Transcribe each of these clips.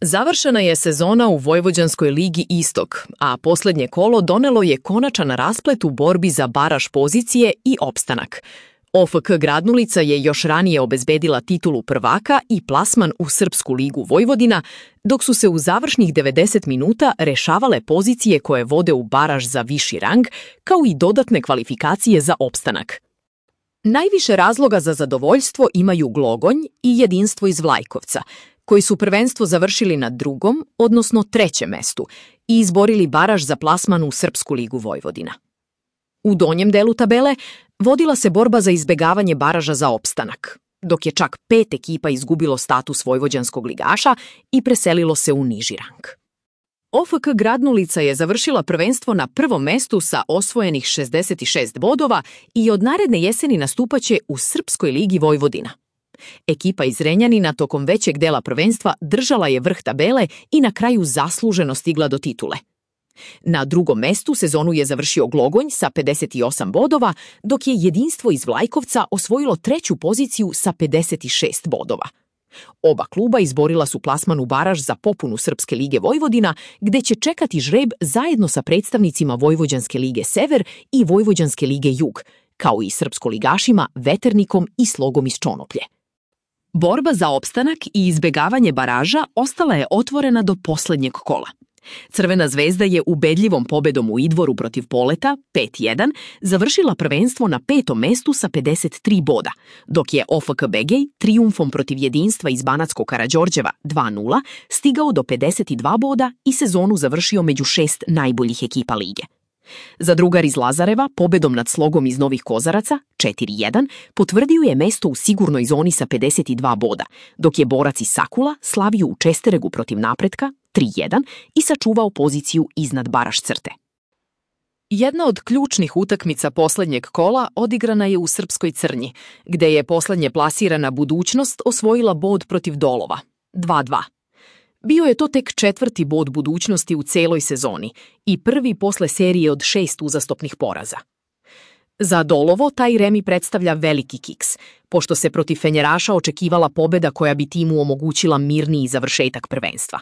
Završena je sezona u Vojvođanskoj ligi Istok, a posljednje kolo donelo je konačan rasplet u borbi za baraž pozicije i opstanak. OFK Gradnulica je još ranije obezbedila titulu prvaka i plasman u Srpsku ligu Vojvodina, dok su se u završnih 90 minuta rešavale pozicije koje vode u baraž za viši rang, kao i dodatne kvalifikacije za opstanak. Najviše razloga za zadovoljstvo imaju Glogonj i Jedinstvo iz Vlajkovca, koji su prvenstvo završili na drugom, odnosno trećem mestu i izborili baraž za plasman u Srpsku ligu Vojvodina. U donjem delu tabele vodila se borba za izbegavanje baraža za opstanak, dok je čak 5 ekipa izgubilo status vojvođanskog ligaša i preselilo se u niži rang. OFK Gradnulica je završila prvenstvo na prvom mestu sa osvojenih 66 bodova i od naredne jeseni nastupaće u Srpskoj ligi Vojvodina. Ekipa iz Renjanina tokom većeg dela prvenstva držala je vrh tabele i na kraju zasluženo stigla do titule. Na drugom mestu sezonu je završio Glogonj sa 58 bodova, dok je Jedinstvo iz Vlajkovca osvojilo treću poziciju sa 56 bodova. Oba kluba izborila su plasman u baraž za popunu Srpske lige Vojvodina, gde će čekati žreb zajedno sa predstavnicima Vojvođanske lige Sever i Vojvođanske lige Jug, kao i srpskoligašima Veternikom i Slogom iz Čonoplje. Borba za opstanak i izbegavanje baraža ostala je otvorena do poslednjeg kola. Crvena zvezda je ubedljivom pobedom u Idvoru protiv Poleta 5-1 završila prvenstvo na 5. mestu sa 53 boda, dok je OFK Begej trijumfom protiv Jedinstva iz Banatskog Karađorđeva 2-0 stigao do 52 boda i sezonu završio među 6 najboljih ekipa lige. Zadrugar iz Lazareva pobedom nad Slogom iz Novih Kozaraca 4-1 potvrdio je mesto u sigurnoj zoni sa 52 boda, dok je borac iz Sakula slavio u Česteregu protiv Napretka 3-1 i sačuvao poziciju iznad baraž crte. Jedna od ključnih utakmica poslednjeg kola odigrana je u Srpskoj Crnji, gde je poslednje plasirana Budućnost osvojila bod protiv Dolova 2-2. Bio je to tek 4. bod Budućnosti u celoj sezoni i prvi posle serije od 6 uzastopnih poraza. Za Dolovo taj remi predstavlja veliki kiks, pošto se protiv Fenjeraša očekivala pobeda koja bi timu omogućila mirniji završetak prvenstva.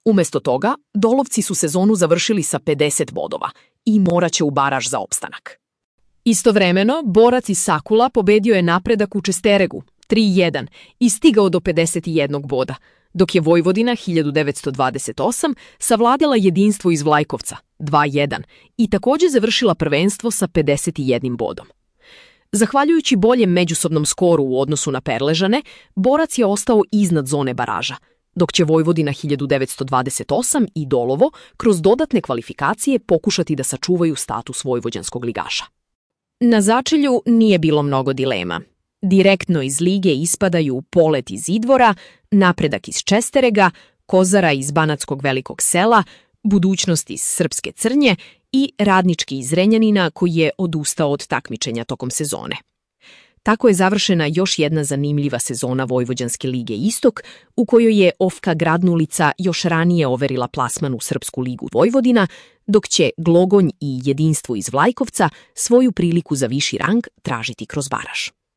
Umesto toga, Dolovci su sezonu završili sa 50 bodova i moraće u baraž za opstanak. Istovremeno, borac iz Sakula pobedio je Napredak u Česteregu 3-1 i stigao do 51 boda, dok je Vojvodina 1928 savladala Jedinstvo iz Vlajkovca 2-1 i također završila prvenstvo sa 51 bodom. Zahvaljujući boljem međusobnom skoru u odnosu na Perležane, borac je ostao iznad zone baraža, dok će Vojvodina 1928 i Dolovo kroz dodatne kvalifikacije pokušati da sačuvaju status vojvođanskog ligaša. Na začelju nije bilo mnogo dilema. Direktno iz lige ispadaju Polet iz Idvora, Napredak iz Česterega, Kozara iz Banatskog Velikog Sela, Budućnost iz Srpske Crnje i Radnički iz Renjanina koji je odustao od takmičenja tokom sezone. Tako je završena još jedna zanimljiva sezona Vojvođanske lige Istok, u kojoj je OFK Gradnulica još ranije overila plasman u Srpsku ligu Vojvodina, dok će Glogonj i Jedinstvo iz Vlajkovca svoju priliku za viši rang tražiti kroz baraž.